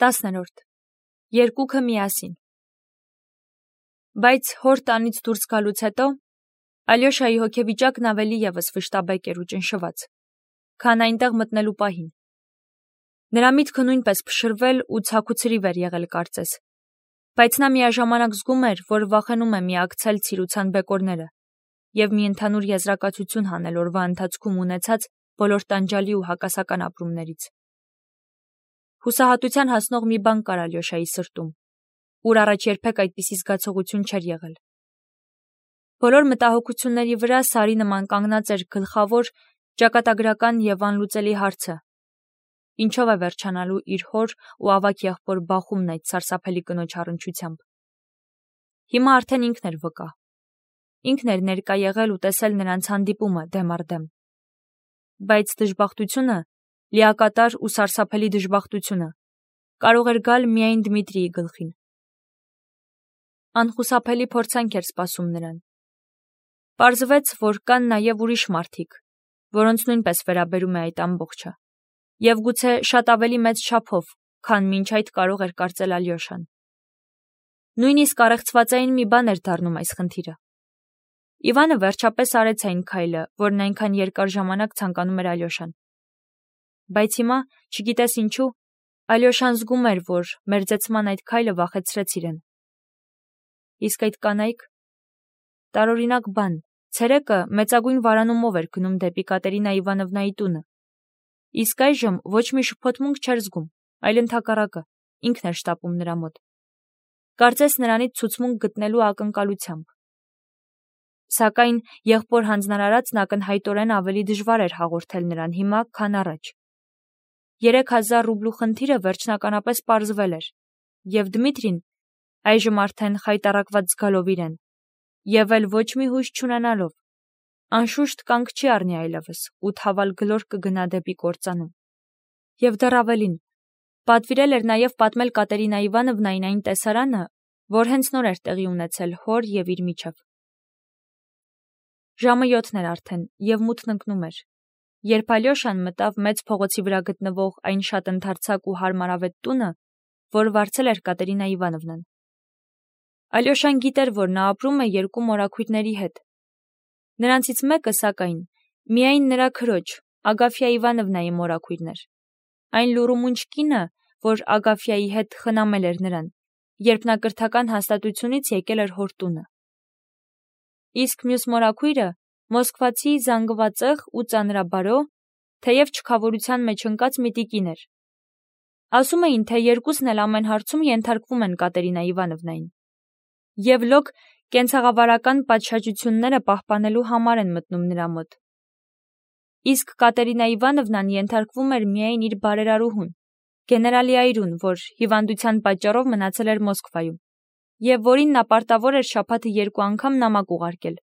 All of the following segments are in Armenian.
10. Երկուքը միասին։ Բայց հոր տանից դուրս գալուց հետո Ալյոշայի հոգեվիճակն ավելի ևս վշտաբեկ էր ու ճնշված, քան այնտեղ մտնելու պահին։ Նրա միտքը նույնպես փշրվել ու ցաքուցրիվ էր եղել կարծես, բայց նա միաժամանակ զգում էր, որ վախենում է միակցել ցիրուցան բեկորները և մի ընդհանուր եզրակացություն հանել օրվա ընթացքում ունեցած բոլոր տանջալի ու հակասական ապրումներից։ Հուսահատության հասնող մի բան կար Ալյոշայի սրտում, ուր առաջ երբեք այդպիսի զգացողություն չէր եղել։ Բոլոր մտահոգությունների վրա սարի նման կանգնած էր գլխավոր, ճակատագրական և անլուծելի հարցը. ինչով է վերջանալու իր հոր ու ավագ եղբոր բախումն այդ սարսափելի կնոջ առնչությամբ։ Հիմա արդեն ինքն էր վկա։ Ինքն էր ներկա եղել ու տեսել նրանց հանդիպումը դեմ առ դեմ։ Բայց դժբախտությունը, լիակատար ու սարսափելի դժբախտությունը, կարող էր գալ միայն Դմիտրիի գլխին։ Անխուսափելի փորձանք էր սպասում նրան։ Պարզվեց, որ կան նաև ուրիշ մարդիկ, որոնց նույնպես վերաբերում է այդ ամբողջը, և գուցե շատ ավելի մեծ չափով, քան մինչ այդ կարող էր կարծել Ալյոշան։ Նույնիսկ առեղծվածային մի բան էր դառնում այս խնդիրը։ Իվանը վերջապես արեց այն քայլը, որն այնքան երկար ժամանակ ցանկանում էր Ալյոշան։ Բայց հիմա, չգիտես ինչու, Ալյոշան զգում էր, որ մերձեցման այդ քայլը վախեցրեց իրեն։ Իսկ այդ կանայք… Տարօրինակ բան, ցերեկը մեծագույն վարանումով էր գնում դեպի Կատերինա Իվանովնայի տունը։ Իսկ այժմ ոչ մի շփոթմունք չէր զգում, այլ ընդհակառակը, ինքն էր շտապում նրա մոտ։ Կարծես նրանից ցուցմունք գտնելու ակնկալությամբ։ Սակայն եղբոր հանձնարարածն ակնհայտորեն ավելի դժվար էր հաղորդել նրան հիմա, քան առաջ։ 3000 ռուբլու խնդիրը վերջնականապես պարզվել էր, և Դմիտրին, այժմ արդեն խայտառակված զգալով իրեն, և էլ ոչ մի հույս չունենալով, անշուշտ կանգ չի առնի այլևս ու թավալ գլոր կգնա դեպի կործանում։ Եվ դեռ ավելին, պատվիրել էր նաև պատմել Կատերինա Իվանովնային այն տեսարանը, որ հենց նոր էր տեղի ունեցել հոր և իր միջև։ Ժամը 7 էր արդեն, և մութն ընկնում էր, երբ Ալյոշան մտավ մեծ փողոցի վրա գտնվող այն շատ ընդարձակ ու հարմարավետ տունը, որ վարձել էր Կատերինա Իվանովնան։ Ալյոշան գիտեր, որ նա ապրում է երկու մորաքույրների հետ։ Նրանցից մեկը, սակայն, միայն նրա քրոջ, Ագաֆյա Իվանովնայի մորաքույրն էր, այն լուռումունջ կինը, որ Ագաֆյայի հետ խնամել էր նրան, երբ նա կրթական հաստատությունից եկել էր հոր տունը։ Իսկ մյուս մորաքույրը մոսկվացի զանգվածեղ ու ծանրաբարո, թեև չքավորության մեջ ընկած մի տիկին էր։ Ասում էին, թե երկուսն էլ ամեն հարցում ենթարկվում են Կատերինա Իվանովնային և լոկ կենցաղավարական պատշաճությունները պահպանելու համար են մտնում նրա մոտ։ Իսկ Կատերինա Իվանովնան ենթարկվում էր միայն իր բարերարուհուն, գեներալի այրուն, որ հիվանդության պատճառով մնացել էր Մոսկվայում, և որին նա պարտավոր էր շաբաթը 2 անգամ նամակ ուղարկել,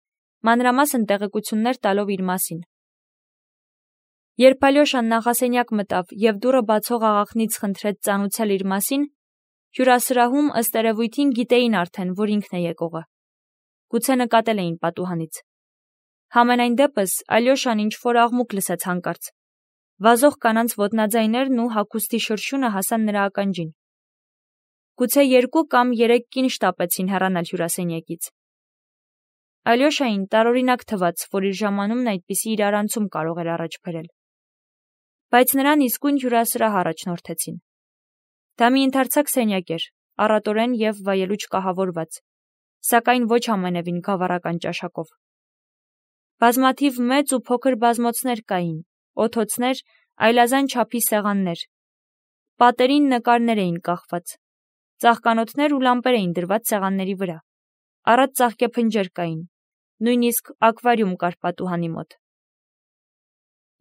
մանրամասն տեղեկություններ տալով իր մասին։ Երբ Ալյոշան նախասենյակ մտավ և դուռը բացող աղախնից խնդրեց ծանուցել իր մասին, հյուրասրահում ըստ երևույթին գիտեին արդեն, որ ինքն է եկողը։ Գուցե նկատել էին պատուհանից։ Համենայն դեպս Ալյոշան ինչ-որ աղմուկ լսեց հանկարծ։ Վազող կանանց ոտնաձայներն ու հագուստի շրշյունը հասան նրա ականջին։ Գուցե 2 կամ 3 կին շտապեցին հեռանալ հյուրասենյակից։ Ալյոշային տարօրինակ թվաց, որ իր ժամանումն այդպիսի իրարանցում կարող էր առաջ բերել։ Բայց նրան իսկույն հյուրասրահ առաջնորդեցին։ Դա մի ընդարձակ սենյակ էր, առատորեն և վայելուչ կահավորված, սակայն ոչ ամենևին գավառական ճաշակով։ Բազմաթիվ մեծ ու փոքր բազմոցներ կային, օթոցներ, այլազան չափի սեղաններ։ Պատերին նկարներ էին կախված, ծաղկանոթներ ու լամպեր էին դրված սեղանների վրա, առատ ծաղկեփնջեր կային, նույնիսկ ակվարիում կար պատուհանի մոտ։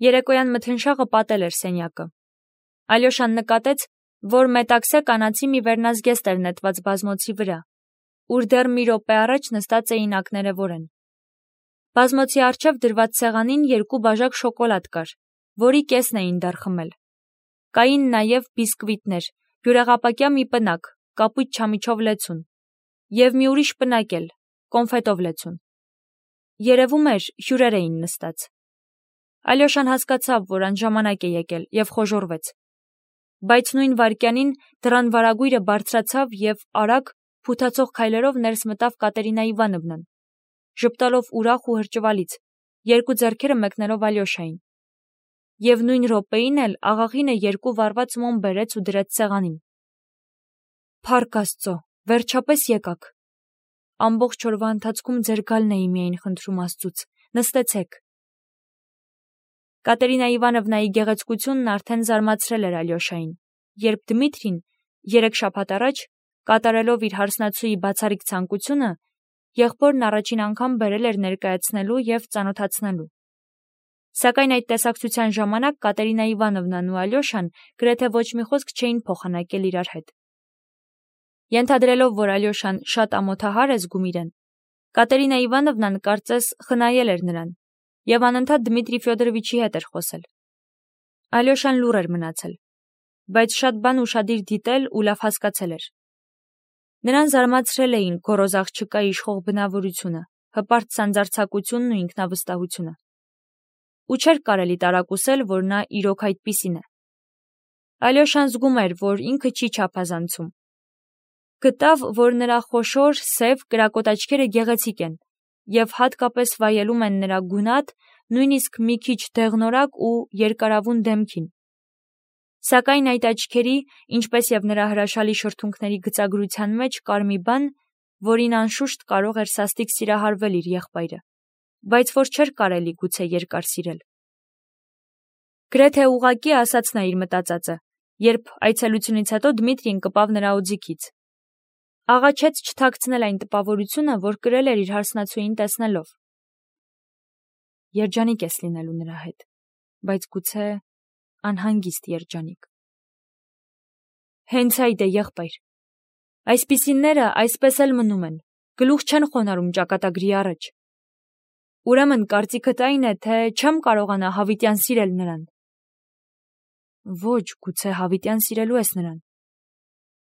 Երեկոյան մթնշաղը պատել էր սենյակը։ Ալյոշան նկատեց, որ մետաքսե կանացի մի վերնազգեստ էր նետված բազմոցի վրա, ուր դեռ մի րոպե առաջ նստած էին ակներևորեն։ Բազմոցի առջև դրված սեղանին 2 բաժակ շոկոլադ կար, որի կեսն էին դեռ խմել։ Կային նաև բիսկվիտներ, բյուրեղապակյա մի պնակ, կապույտ չամիչով լեցուն, և մի ուրիշ պնակ էլ, կոնֆետով լեցուն։ Երևում էր, հյուրեր էին նստած։ Ալյոշան հասկացավ, որ անժամանակ է եկել, և խոժոռվեց։ Բայց նույն վայրկյանին դռան վարագույրը բարձրացավ և արագ, փութացող քայլերով ներս մտավ Կատերինա Իվանովնան, ժպտալով ուրախ ու հրճվալից, երկու ձեռքերը մեկնելով Ալյոշային։ Եվ նույն րոպեին էլ աղաղինը երկու վառված մոմ բերեց ու դրեց սեղանին։ Փառք Աստծո, վերջապես եկաք։ Ամբողջ օրվա ընթացքում ձեր գալն էի միայն խնդրում Աստծուց, նստեցեք։ Կատերինա Իվանովնայի գեղեցկությունն արդեն զարմացրել էր Ալյոշային, երբ Դմիտրին 3 շաբաթ առաջ, կատարելով իր հարսնացուի բացառիկ ցանկությունը, եղբորն առաջին անգամ բերել էր ներկայացնելու և ծանոթացնելու։ Սակայն այդ տեսակցության ժամանակ Կատերինա Իվանովնան ու Ալյոշան գրեթե ոչ մի խոսք չէին փոխանակել իրար հետ։ Ենթադրելով, որ Ալյոշան շատ ամոթահար է զգում իրեն, Կատերինա Իվանովնան կարծես խնայել էր նրան և անընդհատ Դմիտրի Ֆյոդորովիչի հետ էր խոսել։ Ալյոշան լուռ էր մնացել, բայց շատ բան ուշադիր դիտել ու լավ հասկացել էր։ Նրան զարմացրել էին գոռոզ աղջկա իշխող բնավորությունը, հպարտ սանձարձակությունն ու ինքնավստահությունը։ Ու չէր կարելի տարակուսել, որ նա իրոք այդպիսին է։ Ալյոշան զգում էր, որ ինքը չի չափազանցում։ Գտավ, որ նրա խոշոր, սև, կրակոտ աչքերը գեղեցիկ են և հատկապես վայելում են նրա գունատ, նույնիսկ մի քիչ դեղնորակ ու երկարավուն դեմքին։ Սակայն այդ աչքերի, ինչպես և նրա հրաշալի շրթունքների գծագրության մեջ կար մի բան, որին անշուշտ կարող էր սաստիկ սիրահարվել իր եղբայրը, բայց որ չէր կարելի գուցե երկար սիրել։ Գրեթե ուղղակի ասաց նա իր մտածածը, երբ այցելությունից հետո Դմիտրին կպավ նրա օձիքից։ Աղաչեց չթաքցնել այն տպավորությունը, որ կրել էր իր հարսնացուին տեսնելով։ Երջանիկ ես լինելու նրա հետ, բայց գուցե անհանգիստ երջանիկ։ Հենց այդ է, եղբայր։ Այսպիսինները այսպես էլ մնում են, գլուխ չեն խոնարհում ճակատագրի առաջ։ Ուրեմն կարծիքդ այն է, թե չեմ կարողանա հավիտյան սիրել նրան։ Ոչ, գուցե հավիտյան սիրելու ես նրան,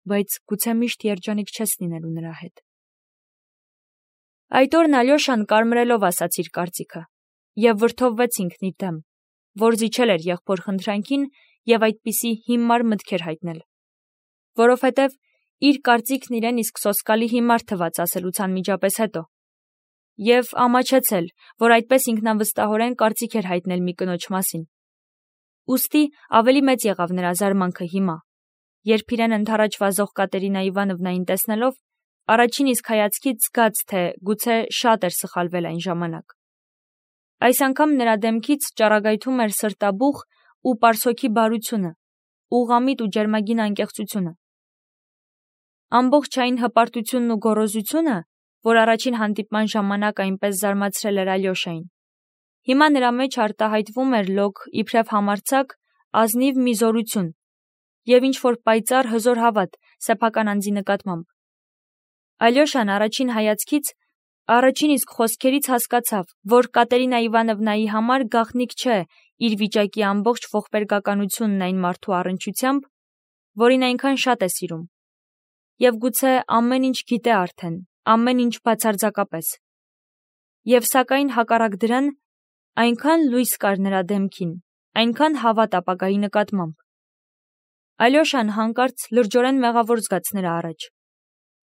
բայց գուցե միշտ երջանիկ չես լինելու նրա հետ։ Այդ օրն Ալյոշան կարմրելով ասաց իր կարծիքը և վրդովվեց ինքն իր դեմ, որ զիջել էր եղբոր խնդրանքին և այդպիսի հիմար մտքեր հայտնել, որովհետև իր կարծիքն իրեն իսկ սոսկալի հիմար թվաց ասելուց անմիջապես հետո, և ամաչեցել, որ այդպես ինքնավստահորեն կարծիք էր հայտնել մի կնոջ մասին։ Ուստի ավելի մեծ եղավ նրա զարմանքը հիմա, երբ իրեն ընդառաջ վազող Կատերինա Իվանովնային տեսնելով, առաջին իսկ հայացքից զգաց, թե գուցե շատ էր սխալվել այն ժամանակ։ Այս անգամ նրա դեմքից ճառագայթում էր սրտաբուխ ու պարսոքի բարությունը, ուղղամիտ ու ջերմագին անկեղծությունը։ Ամբողջ այն հպարտությունն ու գոռոզությունը, որ առաջին հանդիպման ժամանակ այնպես զարմացրել էր Ալյոշային, հիմա նրա մեջ արտահայտվում էր լոկ իբրև համարձակ, ազնիվ մի զորություն և ինչ-որ պայծառ հզոր հավատ սեփական անձի նկատմամբ։ Ալյոշան առաջին հայացքից, առաջին իսկ խոսքերից հասկացավ, որ Կատերինա Իվանովնայի համար գաղտնիք չէ իր վիճակի ամբողջ ողբերգականությունն այն մարդու առնչությամբ, որին այնքան շատ է սիրում, և գուցե ամեն ինչ գիտե արդեն, ամեն ինչ բացարձակապես։ Եվ սակայն հակառակ դրան, այնքան լույս կար նրա դեմքին, այնքան հավատ ապագայի նկատմամբ։ Ալյոշան հանկարծ լրջորեն մեղավոր զգաց նրա առաջ,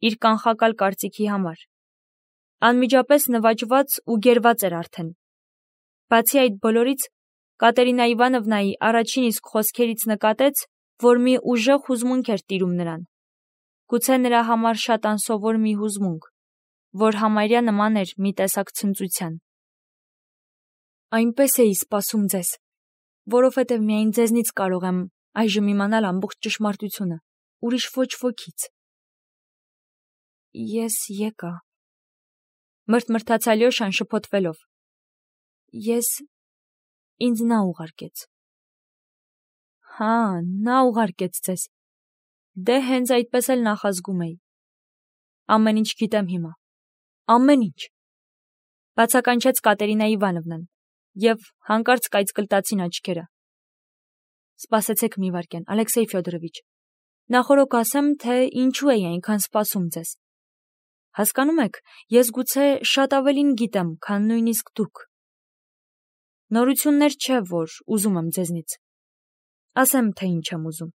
իր կանխակալ կարծիքի համար։ Անմիջապես նվաճված ու գերված էր արդեն։ Բացի այդ բոլորից, Կատերինա Իվանովնայի առաջին իսկ խոսքերից նկատեց, որ մի ուժեղ հուզմունք էր տիրում նրան, գուցե նրա համար շատ անսովոր մի հուզմունք, որ համարյա նման էր մի տեսակ ցնծության։ Այնպես էի սպասում ձեզ, որովհետև միայն ձեզնից կարող եմ այժմ իմանալ ամբողջ ճշմարտությունը, ուրիշ ոչ ոքից։ Ես եկա, մրթմրթաց Ալյոշան շփոթվելով։ Ինձ նա ուղարկեց։ Հա, նա ուղարկեց ձեզ։ Դե հենց այդպես էլ նախազգում էի։ Ամեն ինչ գիտեմ հիմա, ամեն ինչ, բացականչեց Կատերինա Իվանովնան և հանկարծ կայծկլտացին աչքերը։ Սպասեցեք մի վայրկյան, Ալեքսեյ Ֆյոդորովիչ, նախօրոք ասեմ, թե ինչու էի այնքան սպասում ձեզ։ Հասկանում եք, ես գուցե շատ ավելին գիտեմ, քան նույնիսկ դուք։ Նորություններ չէ, որ ուզում եմ ձեզնից։ Ասեմ, թե ինչ եմ ուզում։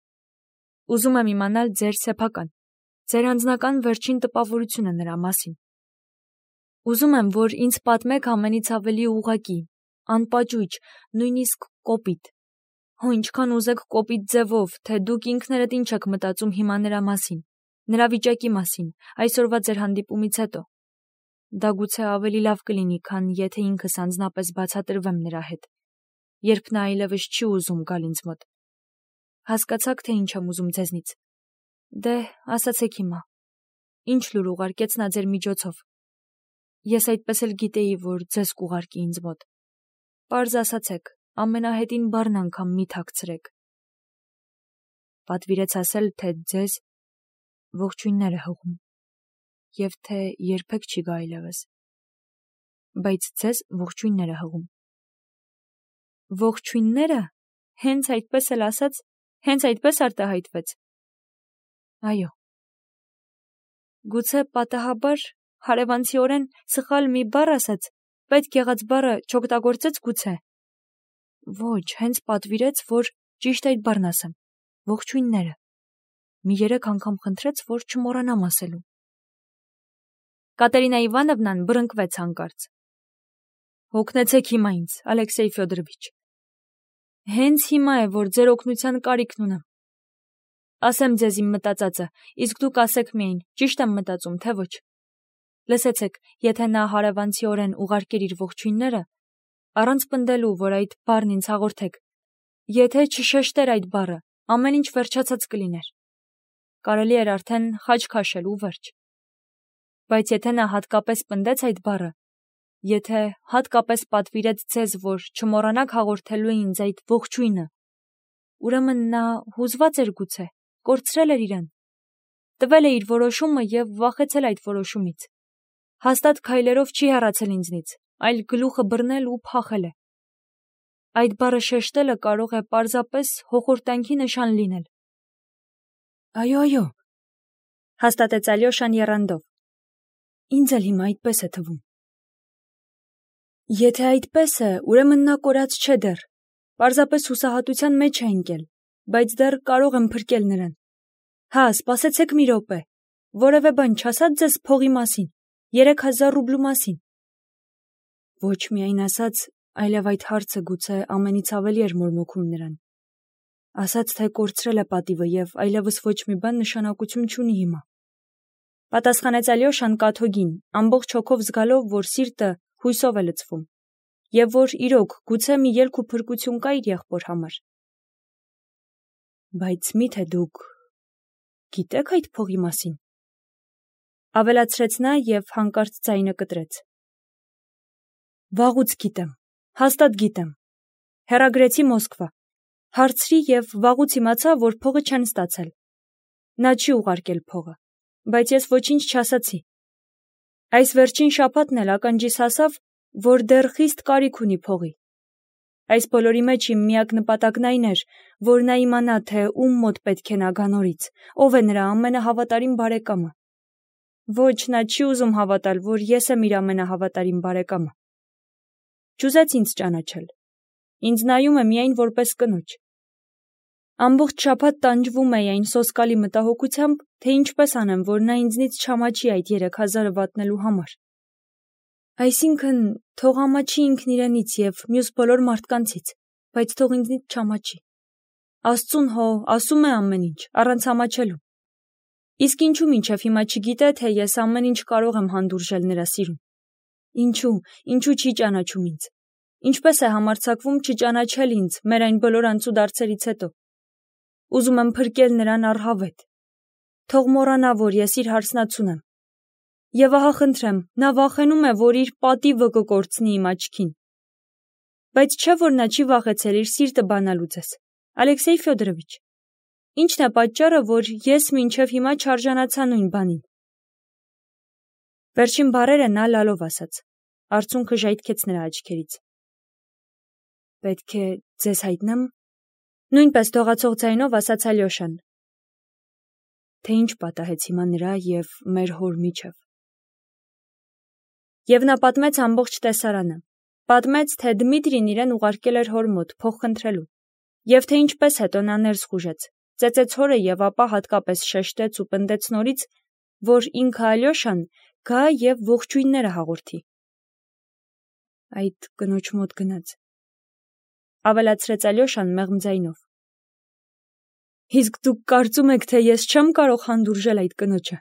Ուզում եմ իմանալ ձեր սեփական, ձեր անձնական վերջին տպավորությունը նրա մասին։ Ուզում եմ, որ ինձ պատմեք ամենից ավելի ուղղակի, անպաճույճ, նույնիսկ կոպիտ։ Հո ինչքան ուզեք կոպիտ ձևով, թե դուք ինքներդ ինչ եք մտածում հիմա նրա մասին, նրա վիճակի մասին, այսօրվա ձեր հանդիպումից հետո։ Դա գուցե ավելի լավ կլինի, քան եթե ինքս անձնապես բացատրվեմ նրա հետ, երբ նա այլևս չի ուզում գալ ինձ մոտ։ Հասկացաք, թե ինչ եմ ուզում ձեզնից։ Դե, ասացեք հիմա։ Ինչ լուր ուղարկեց նա ձեր միջոցով։ Ես այդպես էլ գիտեի, որ ձեզ կուղարկի ինձ մոտ։ Պարզ ասացեք, ամենահետին բառն անգամ մի թաքցրեք։ Պատվիրեց ասել, թե ձեզ ողջույններ է հղում, և թե երբեք չի գա այլևս։ Բայց ձեզ ողջույններ է հղում։ Ողջույնները, հենց այդպես էլ ասաց, հենց այդպես արտահայտվեց։ Այո։ Գուցե պատահաբար, հարևանցիորեն սխալ մի բառ ասաց, պետք եղած բառը չօգտագործեց գուցե։ Ոչ, հենց պատվիրեց, որ ճիշտ այդ բառն ասեմ, ողջույնները։ Մի 3 անգամ խնդրեց, որ չմոռանամ ասելու։ Կատերինա Իվանովնան բռնկվեց հանկարծ։ Օգնեցեք հիմա ինձ, Ալեքսեյ Ֆյոդորովիչ։ Հենց հիմա է, որ ձեր օգնության կարիքն ունեմ։ Ասեմ ձեզ իմ մտածածը, իսկ դուք ասեք միայն, ճիշտ եմ մտածում, թե ոչ։ Լսեցեք, եթե նա հարևանցիորեն ուղարկեր իր ողջույնները, առանց պնդելու, որ այդ բառն ինձ հաղորդեք, եթե չշեշտեր այդ բառը, ամեն ինչ վերջացած կլիներ։ Կարելի էր արդեն խաչ քաշել ու վերջ։ Բայց եթե նա հատկապես պնդեց այդ բառը, եթե հատկապես պատվիրեց ձեզ, որ չմոռանաք հաղորդելու ինձ այդ ողջույնը, ուրեմն նա հուզված էր գուցե, կորցրել էր իրեն, տվել է իր որոշումը և վախեցել այդ որոշումից։ Հաստատ քայլերով չի հեռացել ինձնից, այլ գլուխը բռնել ու փախել է։ Այդ բառը շեշտելը կարող է պարզապես հոխորտանքի նշան լինել։ Այո, հաստատեց Ալյոշան եռանդով։ Ինձ էլ հիմա այդպես է թվում։ Եթե այդպես է, ուրեմն նա կորած չէ դեռ, պարզապես հուսահատության մեջ է ընկել, բայց դեռ կարող եմ փրկել նրան։ Հա, սպասեցեք մի րոպե, որևէ բան չասաց ձեզ փողի մասին, 3000 ռուբլու մասին։ Ոչ միայն ասաց, այլև այդ հարցը գուցե ամենից ավելի էր մորմոքում նրան։ Ասաց, թե կորցրել է պատիվը և այլևս ոչ մի բան նշանակություն չունի հիմա։ Պատասխանեց Ալյոշան կաթոգին, ամբողջ հոգով զգալով, որ սիրտը հույսով է լցվում, և որ իրոք գուցե մի ելք ու փրկություն կա իր եղբոր համար։ Բայց միթե դուք գիտեք այդ փողի մասին։ Ավելացրեց նա և հանկարծ ձայնը կտրեց։ Վաղուց գիտեմ, հաստատ գիտեմ։ Հեռագրեցի Մոսկվա։ Հարցրի և վաղուց իմացա, որ փողը չեն ստացել։ Նա չի ուղարկել փողը, բայց ես ոչինչ չասացի։ Այս վերջին շաբաթն էլ ականջիս հասավ, որ դեռ խիստ կարիք ունի փողի։ Այս բոլորի մեջ իմ միակ նպատակն այն էր, որ նա իմանա, թե ում մոտ պետք է նա գա նորից, ով է նրա ամենահավատարիմ բարեկամը։ Ոչ, նա չի ուզում հավատալ, որ ես եմ իր ամենահավատարիմ բարեկամը։ Չուզեց ինձ ճանաչել։ Ինձ նայում է միայն որպես կնոջ։ Ամբողջ շաբաթ տանջվում էի այն սոսկալի մտահոգությամբ, թե ինչպես անեմ, որ նա ինձնից չամաչի այդ 3000-ը վատնելու համար։ Այսինքն, թող ամաչի ինքն իրենից և մյուս բոլոր մարդկանցից, բայց թող ինձնից չամաչի։ Աստծուն հո ասում է ամեն ինչ, առանց ամաչելու։ Իսկ ինչու մինչև հիմա չգիտե, թե ես ամեն ինչ կարող եմ հանդուրժել նրա սիրուն։ Ինչու չի ճանաչում ինձ։ Ինչպես է համարձակվում չճանաչել ինձ մեր այն բոլոր անցուդարձերից հետո։ Ուզում եմ փրկել նրան առհավետ։ Թող մոռանա, որ ես իր հարսնացուն եմ։ Եվ ահա խնդրեմ, նա վախենում է, որ իր պատիվը կկորցնի իմ աչքին։ Բայց չէ՞ որ նա չի վախեցել իր սիրտը բանալու ձեզ, Ալեքսեյ Ֆյոդորովիչ։ Ինչն է պատճառը, որ ես մինչև հիմա չարժանացա նույն բանին։ Վերջին բառերը նա լալով ասաց, արցունքը ժայթքեց նրա աչքերից։ Պետք է ձեզ հայտնեմ, նույնպես դողացող ձայնով ասաց Ալյոշան, թե ինչ պատահեց հիմա նրա և մեր հոր միջև։ Եվ նա պատմեց ամբողջ տեսարանը, պատմեց, թե Դմիտրին իրեն ուղարկել էր հոր մոտ փող խնդրելու, և թե ինչպես հետո նա ներս խուժեց, ծեծեց հորը և ապա հատկապես շեշտեց ու պնդեց նորից, որ ինքը Ալյոշան գա և ողջույնները հաղորդի։ Այդ կնոջ մոտ գնաց, ավելացրեց Ալյոշան մեղմ ձայնով։ Իսկ դուք կարծում եք, թե ես չեմ կարող հանդուրժել այդ կնոջը։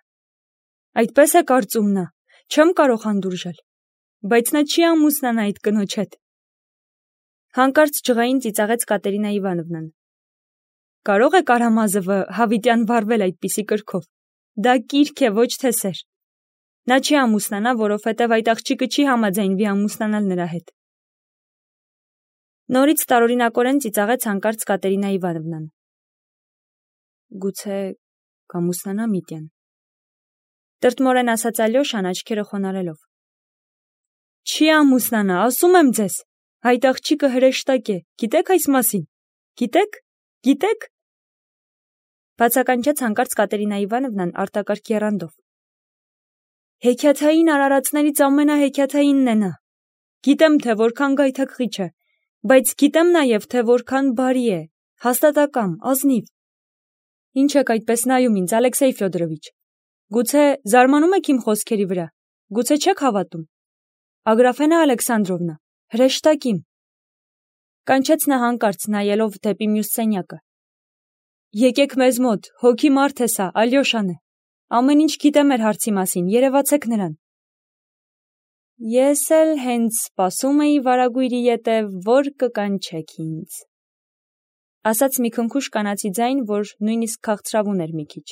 Այդպես է կարծում նա, չեմ կարող հանդուրժել, բայց նա չի ամուսնանա այդ կնոջ հետ։ Հանկարծ ջղային ծիծաղեց Կատերինա Իվանովնան։ Կարող է Կարամազովը հավիտյան վարվել այդպիսի կրքով։ Դա կիրք է, ոչ թե սեր։ Նա չի ամուսնանա, որովհետև այդ աղջիկը չի համաձայնվի ամուսնանալ նրա հետ։ Նորից տարօրինակորեն ծիծաղեց հանկարծ Կատերինա Իվանովնան։ Գուցե կամուսնանա Միտյան։ Տրտմորեն ասաց Ալյոշան աչքերը խոնարհելով։ Չի ամուսնանա, ասում եմ ձեզ։ Այդ աղջիկը հրեշտակ է, գիտեք այս մասին։ Գիտեք։ Բացականչեց հանկարծ Կատերինա Իվանովնան արտակարգ եռանդով։ Հեքիաթային արարածներից ամենահեքիաթայինն է նա։ Գիտեմ, թե որքան գայթակղիչ է, բայց գիտեմ նաև, թե որքան բարի է, հաստատակամ, ազնիվ։ Ինչ եք այդպես նայում ինձ, Ալեքսեյ Ֆյոդորովիչ։ Գուցե զարմանում եք իմ խոսքերի վրա, գուցե չեք հավատում։ Ագրաֆենա Ալեքսանդրովնա, հրեշտակիմ։ Կանչեց նա հանկարծ, նայելով դեպի մյուս սենյակը։ Եկեք մեզ մոտ, հոգի մարդ է սա, Ալյոշան է։ Ամեն ինչ գիտե մեր հարցի մասին, երևացեք նրան։ Ես էլ հենց սպասում էի վարագույրի ետև, որ կկանչեք ինձ։ Ասաց մի քնքուշ կանացի ձայն, որ նույնիսկ քաղցրավուն էր մի քիչ։